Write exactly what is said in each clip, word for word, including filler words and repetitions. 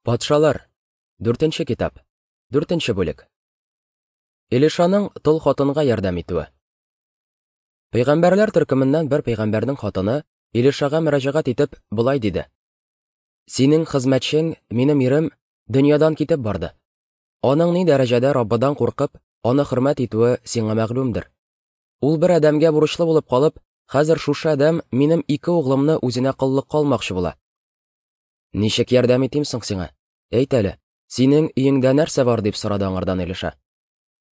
Патшалар, дүртенче китап, дүртенче бүлек. Илишаның тол хатынга ярдәм итүе. Пәйгамбәрләр төркеменнән бер пәйгамбәрнең хатыны Илишага мөрәҗәгать итеп болай диде: "Синең хезмәтчең, минем ирем, дөньядан китеп барды. Аның ни дәрәҗәдә Раббыдан куркып, аны хөрмәт итүе сиңа мәгълүмдер. Ул бер адәмгә бурычлы булып калып, хәзер шушы адәм минем ике углымны үзенә коллыкка алмакчы була. Ничек ярдәм итим соң сиңа? Әйт әле, синең өеңдә нәрсә бар?" дип сорады аңардан Илиша.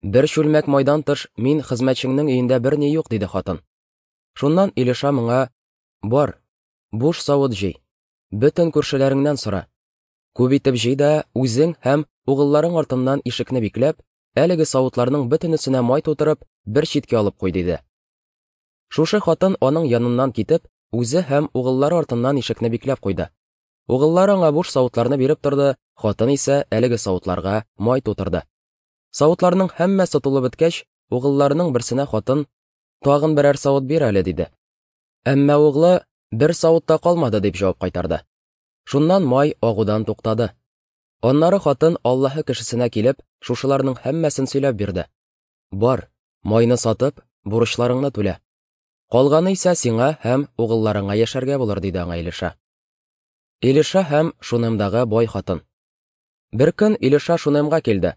"Бер чүлмәк майдан тыш мин хезмәтчеңнең өендә берни юк", диде хатын. Шуннан Илиша моңа: "Бар, буш савыт җый, бөтен күршеләреңнән сора. Күп итеп җый да үзең һәм угылларың артыннан ишекне бикләп, әлеге савытларның бөтенесенә май тутырып, бер читкә алып куй", диде. Шушы хатын аның яныннан китеп, үзе һәм угыллары артыннан ишекне бикләп куйды. Угыллары аңа буш савытларны биреп торды, хатын исә әлеге савытларга май тутырды. Савытларның һәммәсе тулып беткәч, угылларының берсенә хатын: "Тагын берәр савыт бир әле", диде. Әмма углы: "Бер савыт та калмады", дип җавап кайтарды. Шуннан май агудан туктады. Аннары хатын Аллаһы кешесенә килеп, шушыларның һәммәсен сөйләп бирде. "Бар, майны сатып, бурычларыңны түлә. Калганы исә сиңа һәм угылларыңа яшәргә булыр", диде аңа Илиша. Илиша һәм Шунемдагы бай хатын. Бер көн Илиша Шунемга килде.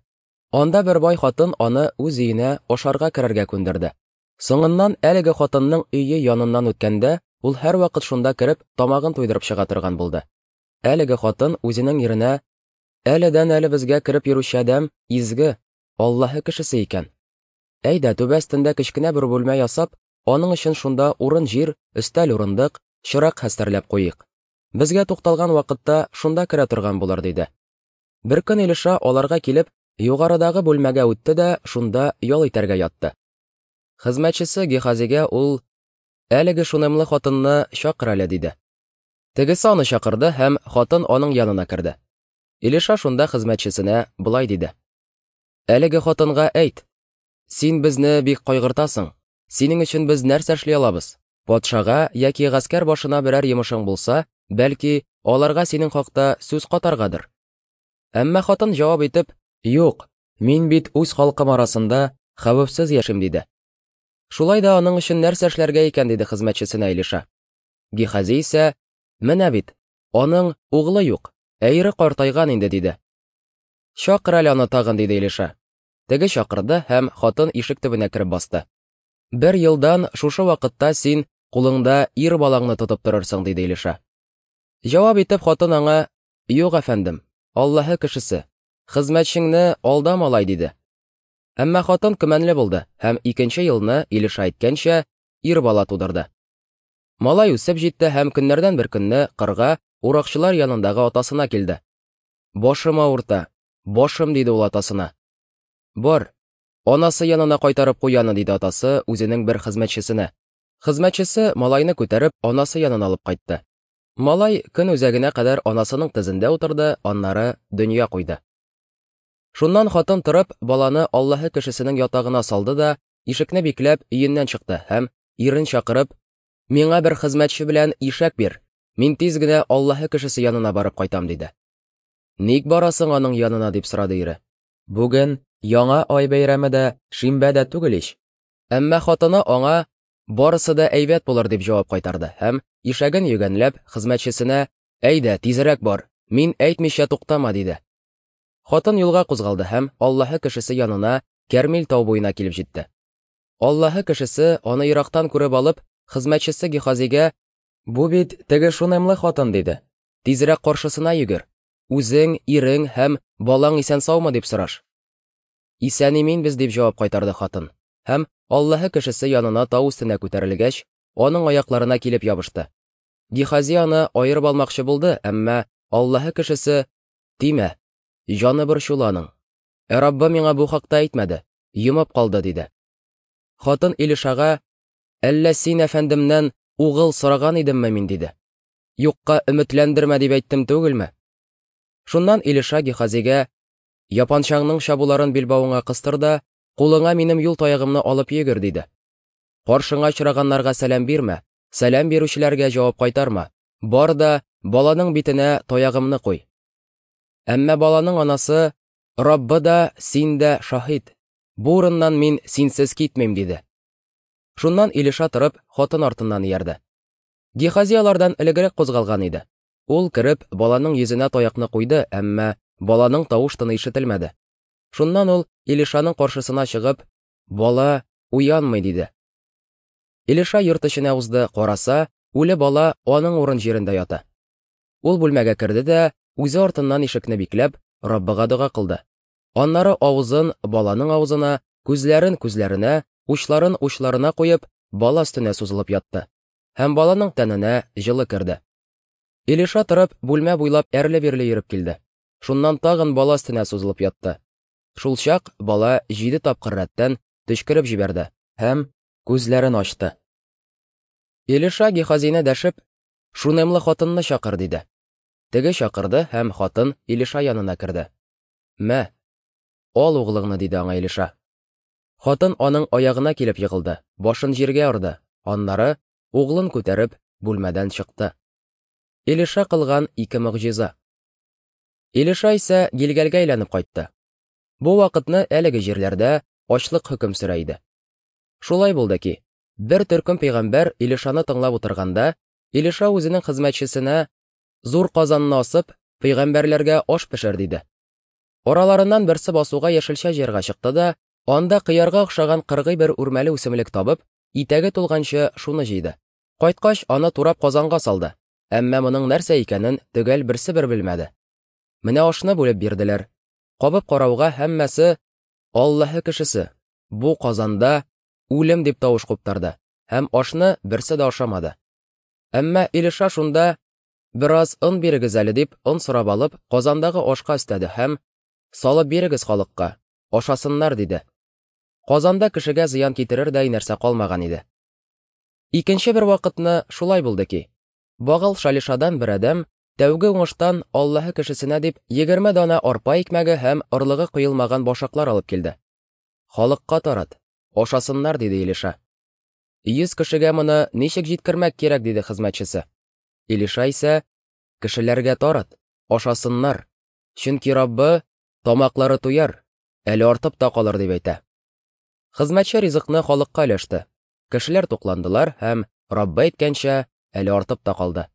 Анда бер бай хатын аны үз өенә ашарга керергә күндерде. Соңыннан әлеге хатынның өе яныннан үткәндә, ул һәрвакыт шунда кереп, тамагын туйдырып чыга торган булды. Әлеге хатын үзенең иренә: "Әледән әле безгә кереп йөрүче адәм изге, Аллаһы кешесе икән. Әйдә, түбә өстендә кечкенә бер бүлмә ясап, аның өчен шунда урын-җир, өстәл-урындык, чырак хәстәрләп куйыйк. Безгә тукталган вакытта шунда керә торган булыр", диде. Бер көн Илиша аларга килеп, югарыдагы бүлмәгә үтте дә шунда ял итәргә ятты. Хезмәтчесе Гехазигә ул: "Әлеге шунемлы хатынны чакыр әле", диде. Тегесе аны чакырды һәм хатын аның янына керде. Илиша шунда хезмәтчесенә болай диде: "Әлеге хатынга әйт: син безне бик кайгыртасың, синең өчен без нәрсә эшли алабыз? Патшага яки гаскәр башына берәр йомышың булса, бәлки, аларга синең хакта сүз катаргадыр". Әмма хатын җавап итеп: "Юк, мин бит үз халкым арасында хәвефсез яшим", диде. Шулай да аның өчен нәрсә эшләргә икән, диде хезмәтчесенә Илиша. Гехази исә: "Менә бит, аның углы юк, ә ире картайган инде", диде. "Чакыр әле аны тагын", диде Илиша. Теге чакырды һәм хатын ишек төбенә кереп басты. "Бер елдан шушы вакытта син кулыңда ир балаңны тотып торырсың", диде Илиша. Җавап итеп хатын аңа: "Юк, әфәндем, Аллаһы кешесе, хезмәтчеңне алдама алай", диде. Әмма хатын көмәнле булды һәм икенче елны, Илиша әйткәнчә, ир бала тудырды. Малай үсеп җитте һәм көннәрдән бер көнне кырга уракчылар янындагы атасына килде. "Башым авырта, башым", диде ул атасына. "Бар, анасы янына кайтарып куй аны", диде атасы үзенең бер хезмәтчесенә. Хезмәтчесе малайны күтәреп анасы янына алып кайтты. Малай көн үзәгенә кадәр анасының тезендә утырды, аннары дөнья куйды. Шуннан хатын торып, баланы Аллаһы кешесенең ятагына салды да, ишекне бикләп, өеннән чыкты һәм ирен чакырып: "Миңа бер хезмәтче белән ишәк бир, мин тиз генә Аллаһы кешесе янына барып кайтам", диде. "Ник барасың аның янына?" дип сорады ире. "Бүген яңа ай бәйрәме дә, шимбә дә түгел ич". Әмма хатыны аңа: "Барысы да әйбәт булыр", дип җавап кайтарды һәм ишәген йөгәнләп хезмәтчесенә: "Әйдә, тизрәк бар, мин әйтмичә туктама", диде. Хатын юлга кузгалды һәм Аллаһы кешесе янына Кәрмил тау буена килеп җитте. Аллаһы кешесе аны ерактан күреп алып, хезмәтчесе Гехазигә: "Бу бит теге шунемлы хатын", диде. "Тизрәк каршысына йөгер. Үзең, ирең һәм балаң исән-саумы дип сораш". "Исән-имин без", дип җавап кайтарды хатын. Һәм Аллаһы кешесе янына тау өстенә күтәрелгәч, аның аякларына килеп ябышты. Гехази аны аерып алмакчы булды, әмма Аллаһы кешесе: "Тимә, җаны борчулы аның. Ә Раббы миңа бу хакта әйтмәде, йомып калды", диде. Хатын Илишага: "Әллә син әфәндемнән угыл сораган идемме мин?" диде. "Юкка өметләндермә дип әйттем түгелме?" Шуннан Илиша Гехазигә: "Япанчаңның чабуларын билбавыңа кыстыр да, кулыңа минем юл таягымны алып йөгер", диде. "Каршыңа очраганнарга сәлам бирмә, сәлам бирүчеләргә җавап кайтарма. Бар да баланың битенә таягымны куй". Әмма баланың анасы: «Раббы да, син дә шаһит, бу урыннан мин синсез китмим», – диде. Шуннан Илиша торып, хатын артыннан иярде. Гехази алардан элегрәк кузгалган иде. Ул кереп, баланың йөзенә таякны куйды, әмма баланың тавыш-тыны ишетелмәде. Шуннан ул Илишаның каршысына чыгып: «Бала уянмый», – диде. Илиша йорт эченә узды, караса, үле бала аның урын җирендә ята. Ул бүлмәгә керде дә, үзе артыннан ишекне бикләп, Раббыга дога кылды. Аннары авызын баланың авызына, күзләрен күзләренә, учларын учларына куеп, бала өстенә сузылып ятты. Һәм баланың тәненә җылы керде. Илиша торып, бүлмә буйлап әрле-бирле йөреп килде. Шуннан тагын бала өстенә сузылып ятты. Шулчак бала җиде тапкыр рәттән төчкереп җибәрде һәм күзләрен ачты. Илиша Гехазине дәшеп: «Шунемлы хатынны чакыр», – диде. Теге чакырды, һәм хатын Илиша янына керде. «Мә, ал углыңны», – диде аңа Илиша. Хатын аның аягына килеп егылды, башын җиргә орды, аннары углын күтәреп бүлмәдән чыкты. Илиша кылган ике могҗиза. Илиша исә Гилгәлгә әйләнеп кайтты. Бу вакытны әлеге җирләрдә ачлык хөкем сөрә иде. Шулай булды ки, бер төркем пәйгамбәр Илишаны тыңлап утырганда, Илиша үзенең хезмәтчесенә: «Зур казанны асып, пәйгамбәрләргә аш пешер», – диде. Араларыннан берсе басуга яшелчә җыярга чыкты да, анда кыярга охшаган кыргый бер үрмәле үсемлек табып, итәге тулганчы шуны җыйды. Кайткач, аны турап казанга салды. Әмма моның нәрсә икәнен төгәл берсе бер белмәде. Менә ашны бүлеп бирделәр. Кабып карауга һәммәсе: «Аллаһы кешесе, бу казанда үлем», – дип тавыш куптарды, һәм ашны берсе дә ашамады. Әмма Илиша шунда: «Бераз он бирегез әле», – дип, он сорап алып, казандагы ашка өстәде һәм: «Салып бирегез халыкка, ашасыннар», – диде. Казанда кешегә зыян китерердәй нәрсә калмаган иде. Икенче бер вакытны шулай булды ки, Багал Шалишадан бер адәм тәүге уңыштан Аллаһы кешесенә дип егерме дана арпа икмәге һәм орлыгы коелмаган башаклар алып килде. «Халыкка тарат, ашасыннар», – диде Илиша. «Йөз кешегә моны ничек җиткермәк кирәк?» – диде хезмәтчесе. Илиша исә: «Кешеләргә тарат, ашасыннар, чөнки Раббы: тамаклары туяр, әле артып та калыр», – дип әйтә. Хезмәтче ризыкны халыкка өләште. Кешеләр тукландылар һәм, Раббы әйткәнчә, әле артып та калды.